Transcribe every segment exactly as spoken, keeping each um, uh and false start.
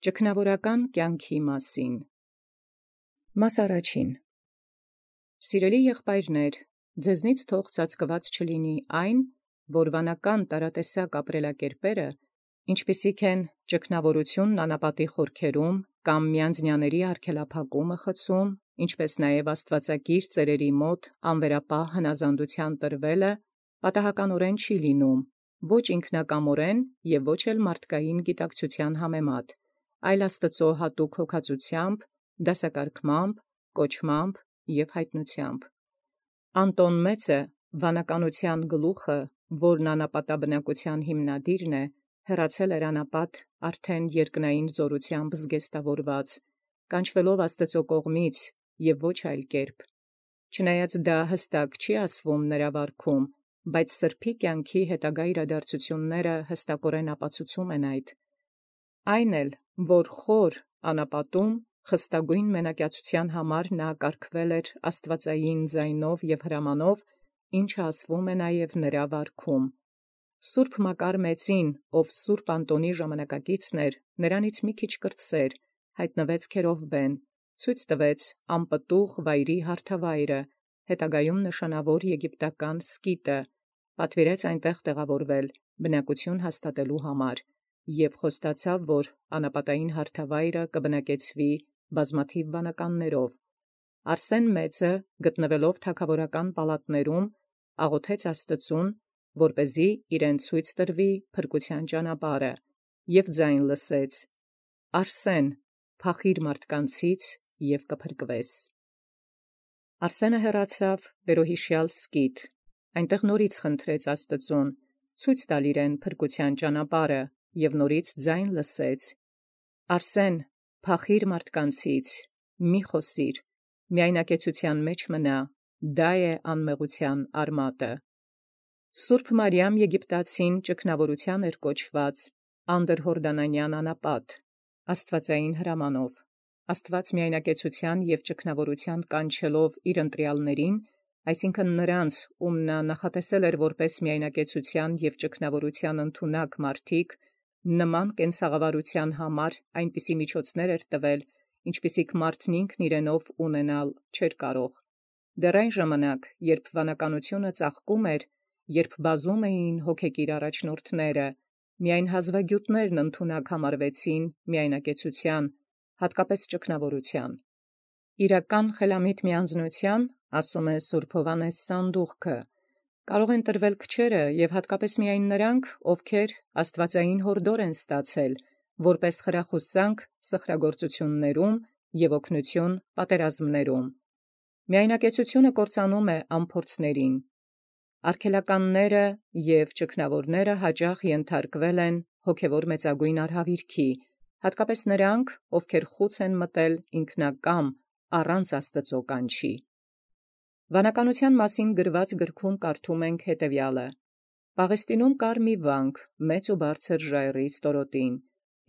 Ճգնավորական կյանքի մասին։ Մաս առաջին. Սիրելի եղբայրներ, ձեզնից թող ծածկված չլինի այն, որ վանական տարատեսակ ապրելակերպերը, ինչպիսիք են ճգնավորությունն անապատի խորքերում կամ մյանձնյաների արգելափակումը խցում, ինչպես նաև աստվածակիր ծերերի մոտ անվերապահ հնազանդության տրվելը, պատահականորեն չի լինում, ոչ ինքնակամորեն և ոչ էլ մարդկային գիտակցության համեմատ, այլ Աստծո հատուկ հոգածությամբ, դասակարգմամբ, կոչմամբ և հայտնությամբ։ Անտոն մեծը, վանականության գլուխը, որն անապատաբնակության հիմնադիրն է, հեռացել էր անապատ արդեն երկնային զորությամբ զգեստավորված, կանչվելով Աստծո կողմից և ոչ այլ կերպ։ Չնայած դա հստակ չի ասվում նրա վարքում, բայց սրբոյ կյանքի հետագա իրադարձությունները հստակորեն ապացուցում են այդ։ Այն էլ, որ խոր անապատում խստագույն մենակյացության համար նա կարգվել էր աստվածային ձայնով և հրամանով, ինչը ասվում է նաև նրա վարքում։ Սուրբ Մակար մեծին, ով սուրբ Անտոնի ժամանակակիցն էր, նրանից մի քիչ կրտսեր, հայտնվեց Քերովբեն, ցույց տվեց անպտուղ վայրի հարթավայրը, հետագայում նշանավոր եգիպտական Սկիտը, պատվիրեց այնտեղ տեղավորվել, բնակություն հաստատելու համար, և խոստացավ, որ անապատային հարթավայրը կբնակեցվի բազմաթիվ վանականներով։ Արսեն մեծը, գտնվելով թագաւորական պալատներում, աղոթեց Աստծուն, որպեսզի իրեն ցույց տրվի փրկության ճանապարհը, և ձայն լսեց. «Արսեն, փախիր մարդկանցից և կփրկվես»։ Արսենը հեռացավ վերոյիշեալ Սկիթ, այնտեղ նորից խնդրեց Աստծուն ցույց տալ իրեն փրկության ճանապարհը, և նորից ձայն լսեց. «Արսեն, փախիր մարդկանցից, մի խոսիր, միայնակեցության մեջ մնա, դա է անմեղության արմատը»։ Սուրբ Մարիամ Եգիպտացին ճգնավորության էր կոչված անդրհորդանանյան անապատ, աստվածային հրամանով։ Աստված միայնակեցության և ճգնավորության կանչելով իր ընտրյալներին, այսինքն նրանց, ում նա նախատեսել էր որպես միայնակեցության և ճգնավորության ընդունակ մարդիկ, նման կենցաղավարութեան համար այնպիսի միջոցներ էր տվել, ինչպիսիք մարդն ինքն իրենով ունենալ չէր կարող։ Դեռ այն ժամանակ, երբ վանականությունը ծաղկում էր, երբ բազում էին հոգեկիր առաջնորդները, միայն հազվագյուտներն ընդունակ համարվեցին միայնակեցության, հատկապես ճգնավորության։ Իրական խելամիտ միանձնութեան, ասում է Սուրբ Հովհաննես Սանդուղքը, կարող են տրվել քչերը և հատկապես միայն նրանք, ովքեր աստվածային յորդոր են ստացել, որպես խրախուսանք սխրագործություններում և օգնություն պատերազմներում։ Միայնակեցությունը կործանում է անփորձներին։ Արգելականները և ճգնավորները յաճախ ենթարկվել են հոգևոր մեծագույն արհավիրքի, հատկապես նրանք, ովքեր խուծ են մտել ինքնակամ առանց Աստծո կանչի։ Վանականութեան մասին գրված գրքում կարդում ենք հետևյալը. «Պաղեստինում կար մի վանք, մեծ ու բարձր ժայռի ստորոտին,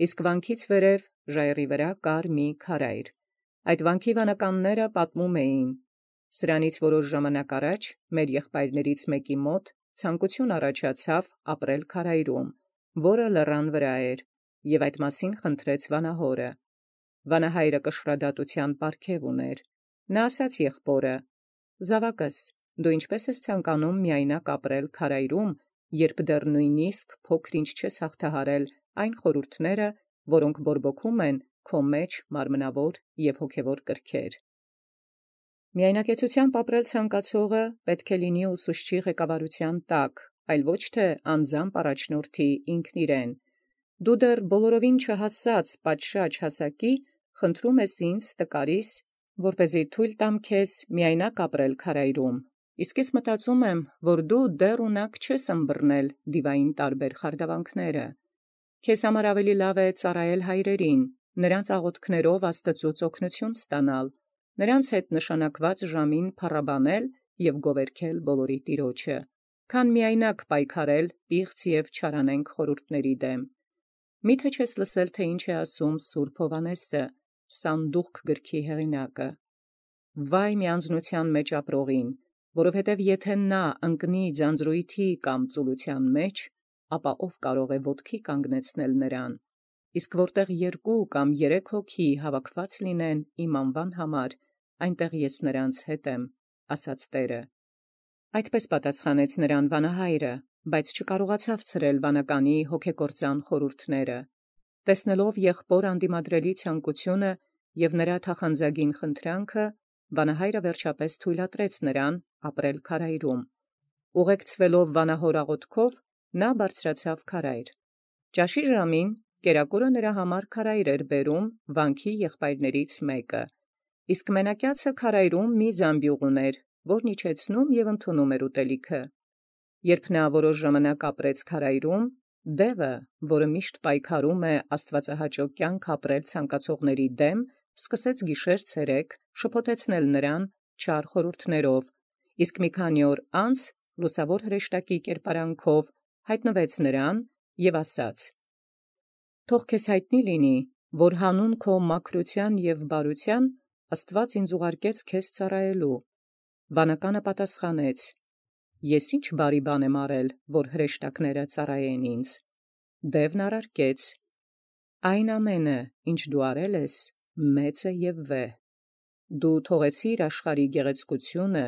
իսկ վանքից վերև ժայռի վրա կար մի քարայր։ Այդ վանքի վանականները պատմում էին. սրանից որոշ ժամանակ առաջ մեր եղբայրներից մեկի մոտ ցանկություն առաջացավ ապրել քարայրում, որը լեռան վրա էր, և այդ մասին խնդրեց վանահորը։ Վանահայրը կշռադատության պարգև ուներ։ Նա ասաց եղբորը. «Զաւակս, դու ինչպէս ես ցանկանում միայնակ ապրել քարայրում, երբ դեռ նույնիսկ փոքր-ինչ չես հաղթահարել այն խորհուրդները, որոնք բորբոքում են քո մեջ մարմնավոր և հոգևոր կրքեր»։ Միայնակեցութեամբ ապրել ցանկացողը պետք է լինի ուսուցչի ղեկավարութեան տակ, այլ ոչ թե անձամբ առաջնորդի ինքն իրեն։ Դու դեռ բոլորովին չհասած պատշաճ հասակի, խնդրում ես ինձ տկարիս, որպեսզի թույլ տամ քեզ միայնակ ապրել քարայրում, իսկ ես մտածում եմ, որ դու դեռ ունակ չես ըմբռնել դիվային տարբեր խարդավանքները։ Քեզ համար ավելի լավ է ծառայել հայրերին, նրանց աղոթքներով Աստծուց օգնություն ստանալ, նրանց հետ նշանակված ժամին փառաբանել և գովերգել բոլորի Տիրոջը, քան միայնակ պայքարել պիղծ և չարանենգ խորհուրդների դեմ։ Մի՞թե չես լսել, թե ինչ է ասում Սուրբ Հովհաննեսը, Սանդուղք գրքի հեղինակը. «Վայ միանձնութեան մեջ ապրողին, որովհետև եթե նա ընկնի ձանձրույթի կամ ծուլութեան մեջ, ապա ով կարող է ոտքի կանգնեցնել նրան։ իսկ որտեղ երկու կամ երեք հոգի հավաքված լինեն իմ անվան համար, այնտեղ ես նրանց հետ եմ, ասաց Տէրը։ Այդպես պատասխանեց նրան վանահայրը, բայց չկարողացավ ցրել վանականի հոգեկործան խորհուրդները։ Տեսնելով եղբոր անդիմադրելի ցանկությունը և նրա թախանձագին խնդրանքը, վանահայրը վերջապես թույլատրեց նրան ապրել քարայրում։ Ուղեկցվելով վանահոր աղոթքով, նա բարձրացավ քարայր։ Ճաշի ժամին կերակուրը նրա համար քարայր էր բերում վանքի եղբայրներից մեկը, իսկ մենակյացը քարայրում մի զամբյուղ ուներ, որն իջեցնում և ընդունում էր ուտելիքը։ Երբ նա որոշ ժամանակ ապրեց քարայրում, դևը, որը միշտ պայքարում է աստվածահաճո կյանք ապրել ցանկացողների դեմ, սկսեց գիշեր-ցերեկ շփոթեցնել նրան չար խորհուրդներով, իսկ մի քանի օր անց լուսավոր հրեշտակի կերպարանքով հայտնվեց նրան և ասաց. «Թող քեզ հայտնի լինի, որ հանուն քո մաքրութեան և բարութեան Աստուած ինձ ուղարկեց քեզ ծառայելու»։ Վանականը պատասխանեց. «Ես ի՞նչ բարի բան եմ արել, որ հրեշտակները ծառայեն ինձ»։ Դևն առարկեց. «Այն ամենը, ինչ դու արել ես, մեծ է և վեհ։ Դու թողեցիր աշխարհի գեղեցկությունը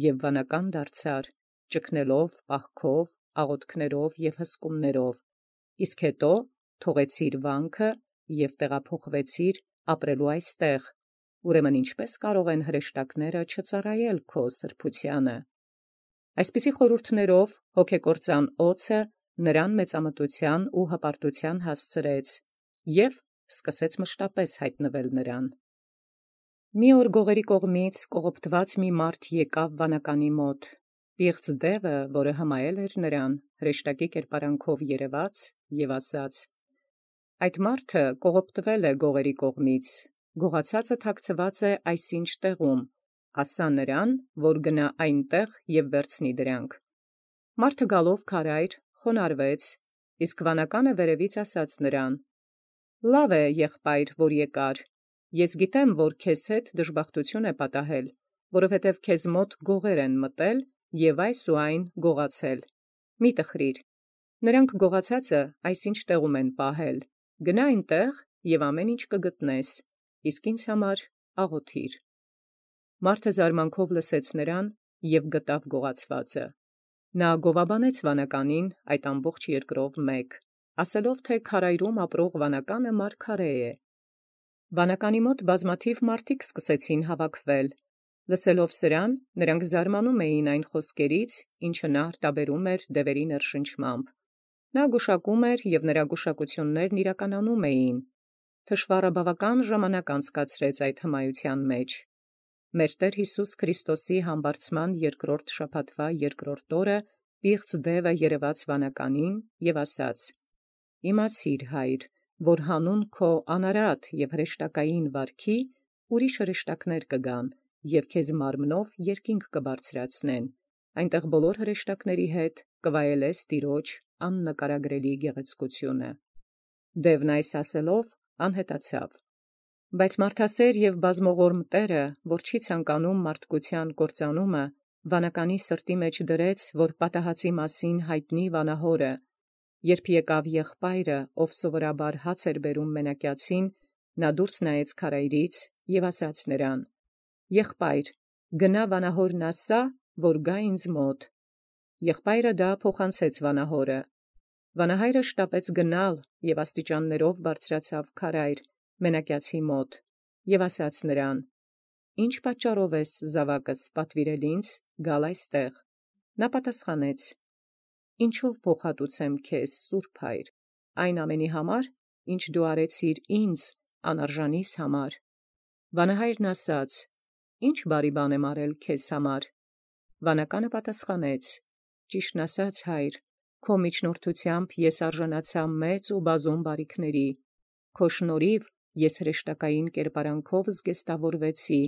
և վանական դարձար, ճգնելով պահքով, աղոթքներով և հսկումներով, իսկ հետո թողեցիր վանքը և տեղափոխվեցիր ապրելու այստեղ, ուրեմն ինչպե՞ս կարող են հրեշտակները չծառայել քո սրբութեանը»։ Այսպիսի խորհուրդներով հոգեկործան օձը նրան մեծամտութեան ու հպարտութեան հասցրեց և սկսեց մշտապես հայտնվել նրան։ Մի օր գողերի կողմից կողոպտված մի մարդ եկավ վանականի մոտ։ Պիղծ դևը, որը հմայել էր նրան, հրեշտակի կերպարանքով երևաց և ասաց. «Այդ մարդը կողոպտվել է գողերի կողմից, գողացածը թաքցված է այսինչ տեղում, ասա նրան, որ գնա այնտեղ և վերցնի դրանք»։ Մարդը գալով քարայր խոնարհվեց, իսկ վանականը վերևից ասաց նրան. «Լավ է, եղբայր, որ եկար. ես գիտեմ, որ քեզ հետ դժբախտություն է պատահել, որովհետև քեզ մոտ գողեր են մտել և այս ու այն գողացել։ Մի տխրիր. նրանք գողացածը այսինչ տեղում են պահել. գնա այնտեղ և ամեն ինչ կգտնես, իսկ ինձ համար աղոթիր»։ Մարդը զարմանքով լսեց նրան և գտավ գողացվածը։ Նա գովաբանեց վանականին այդ ամբողջ երկրով մեկ, ասելով թէ քարայրում ապրող վանականը մարգարէ է։ Վանականի մոտ բազմաթիվ մարդիկ սկսեցին հավաքվել։ Լսելով սրան, նրանք զարմանում էին այն խոսքերից, ինչը նա արտաբերում էր դևերի ներշնչմամբ։ Նա գուշակում էր, և նրա գուշակություններն իրականանում էին։ Թշուառը բավական ժամանակ անցկացրեց այդ հմայության մեջ։ Մեր Տեր Յիսուս Քրիստոսի համբարձման երկրորդ շաբաթվա երկրորդ օրը պիղծ դևը երևաց վանականին և ասաց. «Իմացիր, Հայր, որ հանուն քո անարատ և հրեշտակային վարքի ուրիշ հրեշտակներ կգան և քեզ մարմնով երկինք կբարձրացնեն, այնտեղ բոլոր հրեշտակների հետ կվայելես Տիրոջ աննկարագրելի գեղեցկությունը»։ Դևն այս ասելով անհետացավ։ Բայց մարդասեր և բազմողորմ Տէրը, որ չի ցանկանում մարդկության կործանումը, վանականի սրտի մեջ դրեց, որ պատահածի մասին հայտնի վանահորը։ Երբ եկավ եղբայրը, ով սովորաբար հաց էր բերում մենակյացին, նա դուրս նայեց քարայրից և ասաց նրան. «Եղբայր, գնա վանահորն ասա, որ գա ինձ մոտ»։ Եղբայրը դա փոխանցեց վանահորը։ Վանահայրը շտապեց գնալ և աստիճաններով բարձրացավ քարայր մենակյացի մոտ և ասաց նրան. «Ի՞նչ պատճառով ես զաւակս պատվիրել ինձ գալ այստեղ»։ Նա պատասխանեց. «Ինչով փոխհատուցեմ քեզ, սուրբ Հայր, այն ամենի համար, ինչ դու արեցիր ինձ անարժանիս համար»։ Վանահայրն ասաց. «Ի՞նչ բարի բան եմ արել քեզ համար»։ Վանականը պատասխանեց. «Ճիշտն ասած, Հայր, քո միջնորդութեամբ ես արժանացա մեծ ու բազում բարիքների. քո շնորհիվ ես հրեշտակային կերպարանքով զգեստավորվեցի,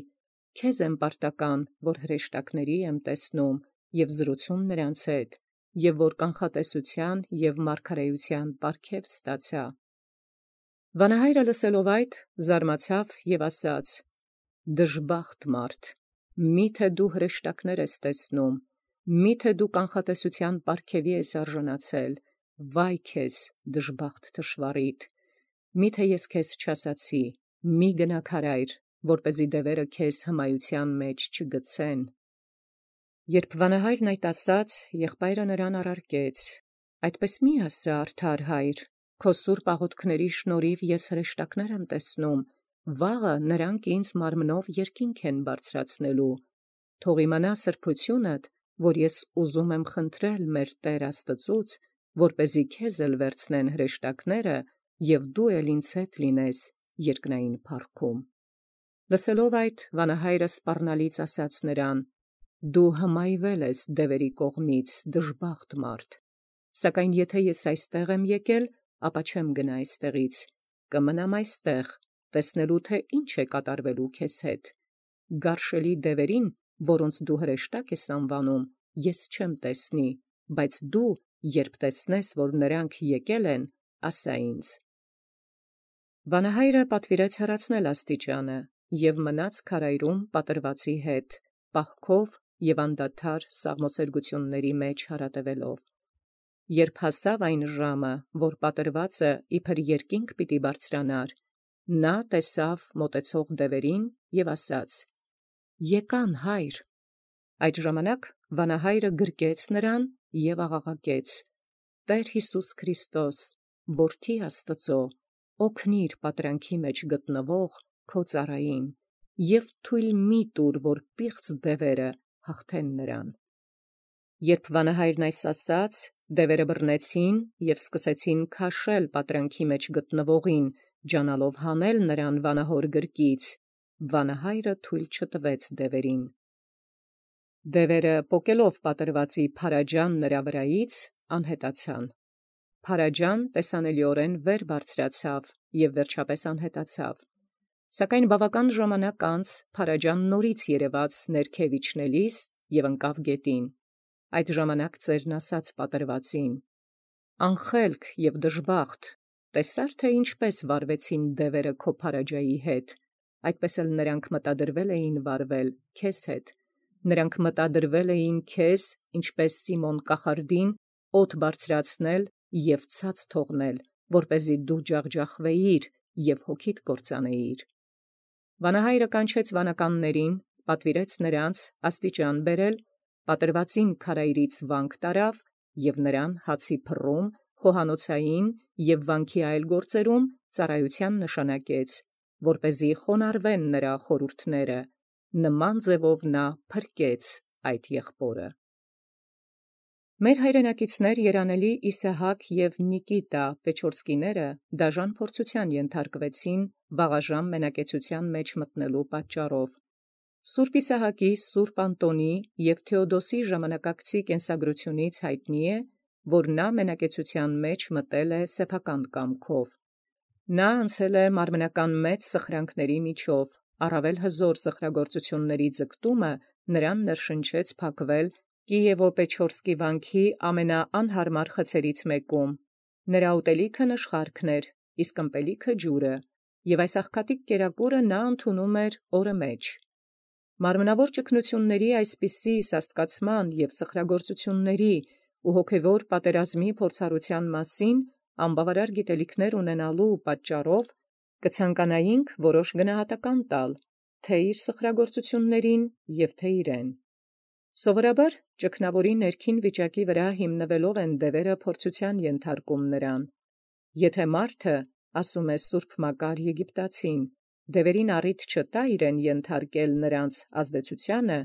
քեզ եմ պարտական, որ հրեշտակների եմ տեսնում և զրուցում նրանց հետ, և որ կանխատեսութեան և մարգարէութեան պարգև ստացա»։ Վանահայրը լսելով այդ, զարմացավ և ասաց. «Դժբախտ մարդ, մի՞թե դու հրեշտակներ ես տեսնում, մի՞թե դու կանխատեսութեան պարգևի ես արժանացել. վայ քեզ, դժբախտ թշուառիդ, Միթե ես քեզ չասացի, մի գնա քարայր, որպեսզի դևերը քեզ հմայության մեջ չգցեն։ Երբ վանահայրն այդ ասաց, եղբայրը նրան առարկեց. «Այդպես մի ասա, արդար հայր, քո սուրբ աղոթքների շնորհիվ ես հրեշտակներ եմ տեսնում, վաղը նրանք ինձ մարմնով երկինք են բարձրացնելու։ Թող իմանա սրբութիւնդ, որ ես ուզում եմ խնդրել մեր Տեր Աստծուց, որպեսզի քեզ էլ վերցնեն հրեշտակները, և դու էլ ինձ հետ լինես երկնային փառքում»։ Լսելով այդ, վանահայրը սպառնալից ասաց նրան. «Դու հմայվել ես դևերի կողմից, դժբախտ մարդ. սակայն եթե ես այստեղ եմ եկել, ապա չեմ գնա այստեղից, կմնամ այստեղ, տեսնելու թե ինչ է կատարվելու քեզ հետ։ Գարշելի դևերին, որոնց դու հրեշտակ ես անվանում, ես չեմ տեսնի, բայց դու, երբ տեսնես, որ նրանք եկել են, ասա ինձ»։ Վանահայրը պատվիրեց հեռացնել աստիճանը և մնաց քարայրում պատրվածի հետ, պահքով և անդադար սաղմոսերգությունների մեջ հարատևելով։ Երբ հասավ այն ժամը, որ պատրվածը իբր երկինք պիտի բարձրանար, նա տեսավ մոտեցող դևերին և ասաց. «Եկան, հայր»։ Այդ ժամանակ վանահայրը գրկեց նրան և աղաղակեց. «Տեր Յիսուս Քրիստոս, որդի Աստծո, օգնիր պատրանքի մեջ գտնվող քո ծառային և թույլ մի տուր, որ պիղծ դևերը հաղթեն նրան»։ Երբ վանահայրն այս ասաց, դևերը բռնեցին և սկսեցին քաշել պատրանքի մեջ գտնվողին, ջանալով հանել նրան վանահոր գրկից, վանահայրը թույլ չտվեց դևերին։ Դևերը պոկելով պատրվածի փարաջան նրա վրայից, անհետացան։ Փարաջան տեսանելիորեն վեր բարձրացավ և վերջապես անհետացավ։ Սակայն բավական ժամանակ անց փարաջան նորից երևաց ներքև իջնելիս և ընկավ գետին։ Այդ ժամանակ ծերն ասաց պատրվածին. «Անխելք և դժբախտ, տեսա՞ր, թե ինչպես վարվեցին դևերը քո փարաջայի հետ, այդպես էլ նրանք մտադրվել էին վարվել քեզ հետ. նրանք մտադրվել էին քեզ, ինչպես Սիմոն կախարդին, օդ բարձրացնել և ցած թողնել, որպեսզի դու ջախջախվեիր և հոգիդ կործանեիր»։ Վանահայրը կանչեց վանականներին, պատվիրեց նրանց աստիճան բերել, պատրվածին քարայրից վանք տարավ և նրան հացի փռում, խոհանոցային և վանքի այլ գործերում ծառայության նշանակեց, որպեսզի խոնարհվեն նրա խորհուրդները, նման ձևով նա փրկեց այդ եղբորը։ Մեր հայրենակիցներ երանելի Իսահակ և Նիկիտա Պեչորսկիները դաժան փորձության ենթարկվեցին վաղաժամ մենակեցության մեջ մտնելու պատճառով։ Սուրբ Իսահակի, սուրբ Անտոնի և Թեոդոսի ժամանակակցի կենսագրությունից հայտնի է, որ նա մենակեցության մեջ մտել է սեփական կամքով։ Նա անցել է մարմնական մեծ սխրանքների միջով, առավել հզոր սխրագործությունների ձգտումը նրան ներշնչեց փակվել Կիևո-Պեչորսկի վանքի ամենաանհարմար խցերից մեկում։ Նրա ուտելիքը նշխարքն էր, իսկ ըմպելիքը ջուրը, և այս աղքատիկ կերակուրը նա ընդունում էր օրը մեջ։ Մարմնավոր ճգնությունների այսպիսի սաստկացման և սխրագործությունների ու հոգևոր պատերազմի փորձառության մասին անբավարար գիտելիքներ ունենալու պատճառով կցանկանայինք որոշ գնահատական տալ թե՛ իր սխրագործություններին և թե՛ իրեն։ Սովորաբար ճգնավորի ներքին վիճակի վրա հիմնվելով են դևերը փորձության ենթարկում նրան։ Եթե մարդը, ասում է սուրբ Մակար Եգիպտացին, դևերին առիթ չտա իրեն ենթարկել նրանց ազդեցությանը,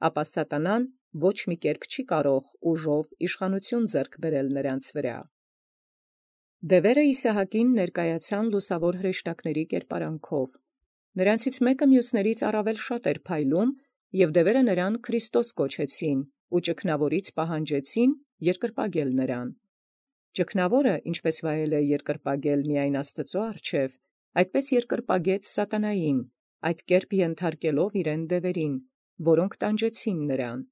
ապա սատանան ոչ մի կերպ չի կարող ուժով իշխանություն ձեռք բերել նրանց վրա։ Դևերը Իսահակին ներկայացան լուսավոր հրեշտակների կերպարանքով։ Նրանցից մեկը մյուսներից առավել շատ էր փայլում, և դևերը նրան Քրիստոս կոչեցին ու ճգնավորից պահանջեցին երկրպագել նրան։ Ճգնավորը, ինչպես վայել է երկրպագել միայն Աստծո առջև, այդպես երկրպագեց սատանային, այդ կերպ ենթարկելով իրեն դևերին, որոնք տանջեցին նրան։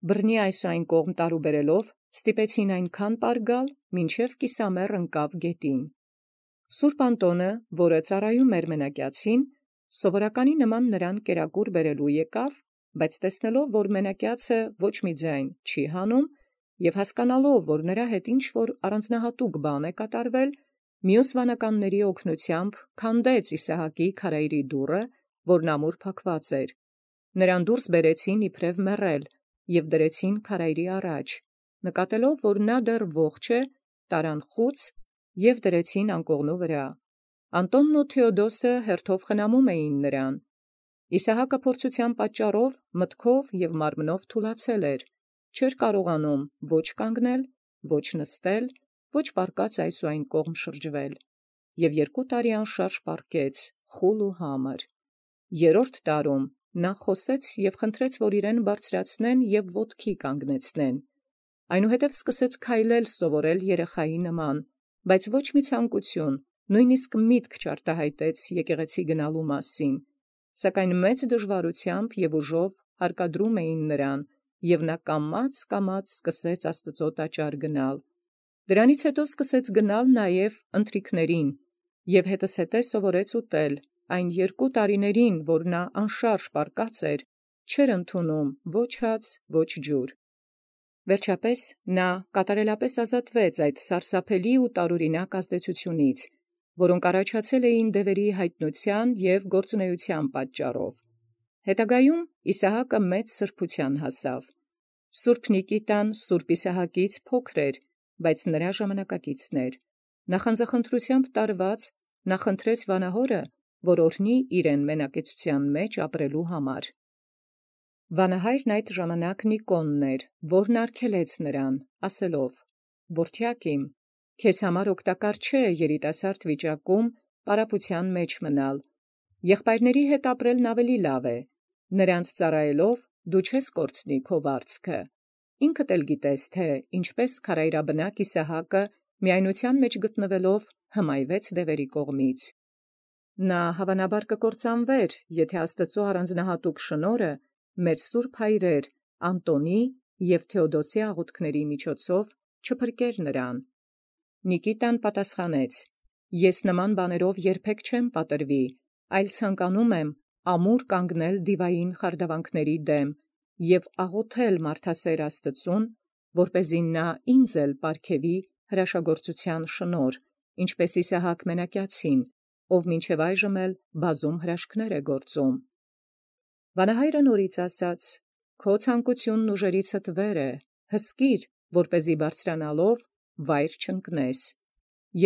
Բռնի այս ու այն կողմ տարուբերելով ստիպեցին այնքան պարգալ, մինչև կիսամեռ ընկավ գետին։ Սուրբ Անտոնը, որը ծառայում էր մենակյացին, սովորականի նման նրան կերակուր բերելու եկավ, բայց տեսնելով, որ մենակյացը ոչ մի ձայն չի հանում, և հասկանալով, որ նրա հետ ինչ-որ առանձնահատուկ բան է կատարվել, Մյուս վանականների օգնությամբ քանդեց Իսահակի քարայրի դուռը, որն ամուր փակված էր։ Նրան դուրս բերեցին իբրև մեռել և դրեցին քարայրի առաջ, նկատելով, որ նա դեռ ողջ է, տարան խուց և դրեցին անկողնու վրա։ Անտոնն ու Թէոդոսը հերթով խնամում էին նրան։ Իսահակը փորձութեան պատճառով մտքով և մարմնով թուլացել էր, չէր կարողանում ոչ կանգնել, ոչ նստել, ոչ պառկած այս ու այն կողմ շրջվել, և երկու տարի անշարժ պառկեց, խուլ ու համր։ Երրորդ տարում նա խոսեց և խնդրեց, որ իրեն բարձրացնեն և ոտքի կանգնեցնեն։ Այնուհետև սկսեց քայլել սովորել երեխայի նման, բայց ոչ մի ցանկություն, նույնիսկ միտք չարտահայտեց եկեղեցի գնալու մասին, սակայն մեծ դժվարութեամբ և ուժով հարկադրում էին նրան, և նա կամաց-կամաց սկսեց Աստուծոյ տաճար գնալ։ Դրանից հետո սկսեց գնալ նաև ընթրիքներին, և հետզհետե սովորեց ուտել, այն երկու տարիներին, որ նա անշարժ պառկած էր, չէր ընդունում ոչ հաց, ոչ ջուր։ Վերջապես նա կատարելապէս ազատվեց այդ սարսափելի ու տարօրինակ ազդեցութիւնից, որոնք առաջացել էին դևերի յայտնութեան և գործունեութեան պատճառով։ Հետագայում Իսահակը մեծ սրբութեան հասավ։ Սուրբ Նիկիտան սուրբ Իսահակից փոքր էր, բայց նրա ժամանակակիցն էր։ Նախանձախնդրութեամբ տարված նախընտրեց վանահորը, որ օրհնի իրեն մենակեցութեան մեջ ապրելու համար։ Վանահայրն այդ ժամանակ Նիկոնն էր, որն արգելեց նրան, ասելով. «Որդեակ իմ, քեզ համար օգտակար չէ երիտասարդ վիճակում պարապութեան մեջ մնալ. եղբայրների հետ ապրելն ավելի լավ է. նրանց ծառայելով դու չես կորցնի քո վարձքը։ Ինքդ էլ գիտես, թէ ինչպէս քարայրաբնակ Իսահակը միայնութեան մեջ գտնվելով հմայվեց դևերի կողմից։ Նա հավանաբար կկործանվեր, եթէ Աստուծոյ առանձնահատուկ շնորհը մեր սուրբ հայրեր Անտոնի և Թէոդոսի աղոթքների միջոցով չփրկեր նրան»։ Նիկիտան պատասխանեց. «Ես նման բաներով երբեք չեմ պատրվի, այլ ցանկանում եմ ամուր կանգնել դիվային խարդավանքների դեմ և աղոթել մարդասեր Աստուծուն, որպեսզի նա ինձ էլ պարգևի հրաշագործութեան շնորհ, ինչպէս Իսահակ մենակյացին, ով մինչև այժմ էլ բազում հրաշքներ է գործում»։ Վանահայրը նորից ասաց. «Քո ցանկութիւնն ուժերիցդ վեր է, հսկիր, որպեսզի բարձրանալով վայր չընկնես։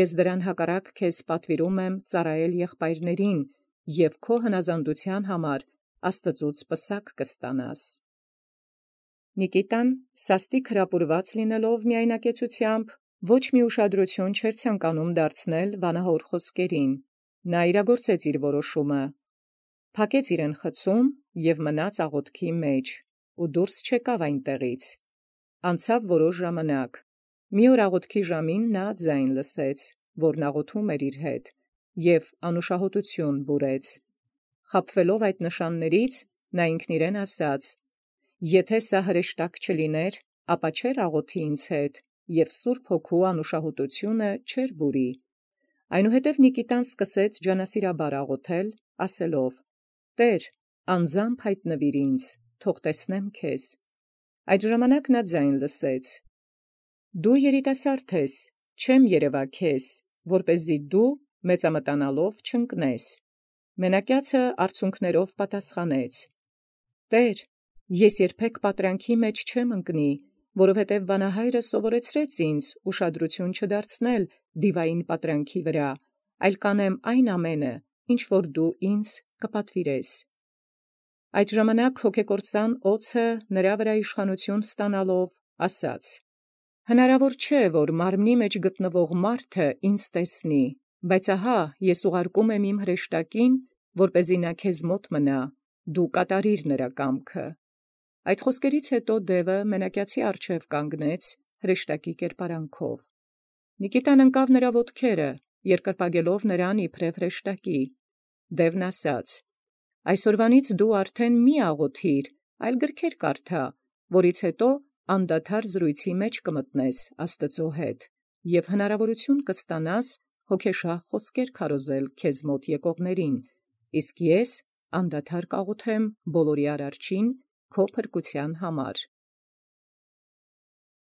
Ես դրան հակառակ քեզ պատվիրում եմ ծառայել եղբայրներին, և քո հնազանդութեան համար Աստուծուց պսակ կստանաս»։ Նիկիտան սաստիկ հրապուրված լինելով միայնակեցութեամբ, ոչ մի ուշադրութիւն չէր ցանկանում դարձնել վանահոր խոսքերին։ Նա իրագործեց իր որոշումը, փակեց իրեն խցում և մնաց աղոթքի մեջ, ու դուրս չեկավ այնտեղից։ Անցավ որոշ ժամանակ. մի օր աղոթքի ժամին նա ձայն լսեց, որն աղոթում էր իր հետ, և անուշահոտութիւն բուրեց։ Խաբվելով այդ նշաններից, նա ինքն իրեն ասաց. «Եթէ սա հրեշտակ չլիներ, ապա չէր աղոթի ինձ հետ, և սուրբ Հոգու անուշահոտութիւնը չէր բուրի»։ Այնուհետև Նիկիտան սկսեց ջանասիրաբար աղոթել, ասելով. «Տէր, անձամբ յայտնվիր ինձ, թող տեսնեմ քեզ»։ Այդ ժամանակ նա ձայն լսեց. «Դու երիտասարդ ես, չեմ երևա քեզ, որպեսզի դու մեծամտանալով չընկնես»։ Մենակյացը արցունքներով պատասխանեց. «Տէր, ես երբեք պատրանքի մեջ չեմ ընկնի, որովհետև վանահայրը սովորեցրեց ինձ ուշադրութիւն չդարձնել դիվային պատրանքի վրա, այլ կանեմ այն ամենը, ինչ որ դու ինձ կպատվիրես»։ Այդ ժամանակ հոգեկործան օձը նրա վրա իշխանութիւն ստանալով ասաց. «Հնարաւոր չէ, որ մարմնի մեջ գտնվող մարդը ինձ տեսնի, բայց ահա ես ուղարկում եմ իմ հրեշտակին, որպեսզի նա քեզ մոտ մնա, դու կատարիր նրա կամքը»։ Այդ խոսքերից հետո դևը մենակյացի առջև կանգնեց հրեշտակի կերպարանքով։ Նիկիտան ընկավ նրա ոտքերը, երկրպագելով նրան իբրև հրեշտակի։ Դևն ասաց. «Այսօրվանից դու արդեն մի աղոթիր, այլ գրքեր կարդա, որից հետո անդադար զրույցի մեջ կմտնես Աստուծոյ հետ, և հնարաւորութիւն կստանաս հոգեշահ խոսքեր քարոզել քեզ մոտ եկողներին, իսկ ես անդադար կաղոթեմ բոլորի արարչին քո փրկութեան համար»։